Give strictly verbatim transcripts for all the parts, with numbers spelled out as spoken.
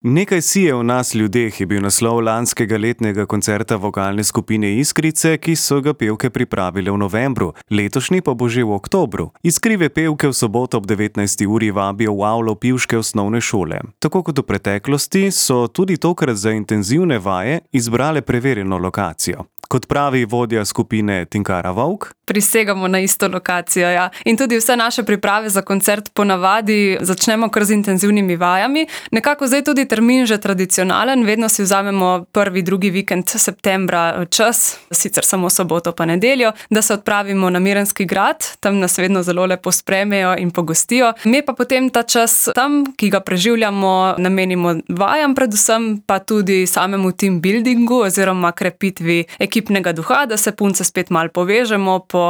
Nekaj sije v nas ljudeh je bil naslov lanskega letnega koncerta vokalne skupine Iskrice, ki so ga pevke pripravile v novembru, letošnji pa bo že v oktobru. Iskrive pevke v soboto ob devetnajsti uri vabijo v avlo pivške osnovne šole. Tako kot v preteklosti so tudi tokrat za intenzivne vaje izbrale preverjeno lokacijo. Kot pravi vodja skupine Tinkara Vovk: prisegamo na isto lokacijo, ja. In tudi vse naše priprave za koncert ponavadi začnemo kar z intenzivnimi vajami. Nekako zdaj tudi termin že tradicionalen, vedno si vzamemo prvi, drugi vikend septembra čas, sicer samo soboto pa nedeljo, da se odpravimo na Mirenski grad, tam nas vedno zelo lepo sprejmejo in pogostijo. Mi pa potem ta čas tam, ki ga preživljamo, namenimo vajam predvsem, pa tudi samemu team buildingu oziroma krepitvi ekipnega duha, da se punce spet malo povežemo po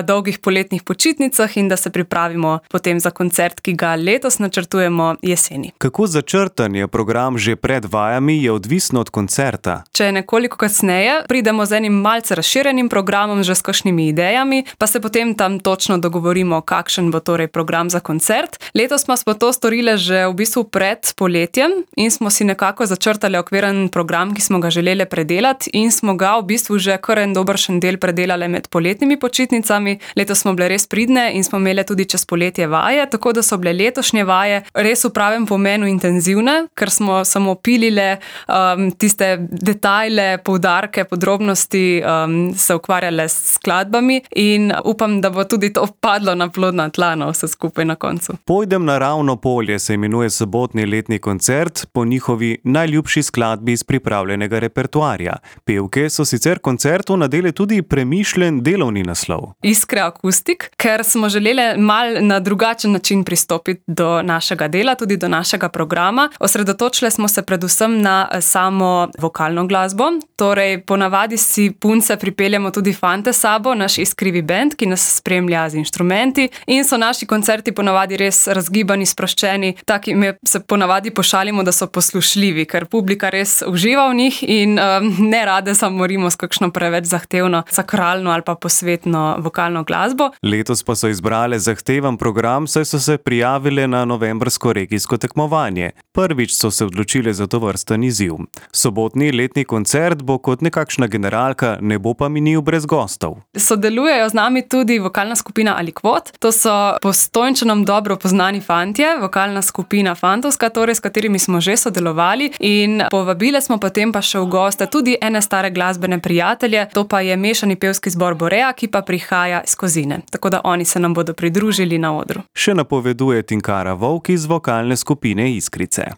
dolgih poletnih počitnicah in da se pripravimo potem za koncert, ki ga letos načrtujemo jeseni. Kako začrtan je program že pred vajami, je odvisno od koncerta. Če je nekoliko kasneje, pridemo z enim malce razširjenim programom, že s kakšnimi idejami, pa se potem tam točno dogovorimo, kakšen bo torej program za koncert. Letos pa smo to storile že v bistvu pred poletjem in smo si nekako začrtali okviren program, ki smo ga želeli predelati in smo ga v bistvu že kar en dobršen del predelali med poletnimi počitnicami. Letos smo bile res pridne in smo imeli tudi čez poletje vaje, tako da so bile letošnje vaje res v pravem pomenu intenzivne, ker smo samo pilile um, tiste detajle, poudarke, podrobnosti, um, se ukvarjale s skladbami in upam, da bo tudi to padlo na plodna tla, no, vse skupaj na koncu. Pojdem na ravno polje se imenuje sobotni letni koncert po njihovi najljubši skladbi iz pripravljenega repertoarja. Pevke so sicer koncertu nadele tudi premišljen delovni naslov. Iskre akustik, ker smo želeli mal na drugačen način pristopiti do našega dela, tudi do našega programa. Osredotočili smo se predvsem na samo vokalno glasbo, torej ponavadi si punce pripeljemo tudi fante sabo, naš iskrivi bend, ki nas spremlja z inštrumenti in so naši koncerti ponavadi res razgibani, sproščeni, taki me se ponavadi pošalimo, da so poslušljivi, ker publika res uživa v njih in um, ne rade zamorimo s kakšno preveč zahtevno, sakralno ali pa posvetno vokalno glasbo. Letos pa so izbrale zahteven program, saj so se prijavile na novembrsko regijsko tekmovanje. Prvič so se odločile za tovrsten izziv. Sobotni letni koncert bo kot nekakšna generalka, ne bo pa minil brez gostov. Sodelujejo z nami tudi vokalna skupina Alikvot. To so Postojnčanom dobro poznani fantje, vokalna skupina fantovska, torej s katerimi smo že sodelovali in povabile smo potem pa še v goste tudi ene stare glasbene prijatelje, to pa je mešani pevski zbor Borea, ki pa prihaja iz Kozine. Tako da oni se nam bodo pridružili na odru. Še napoveduje Tinkara Vovk iz vokalne skupine Iskrice.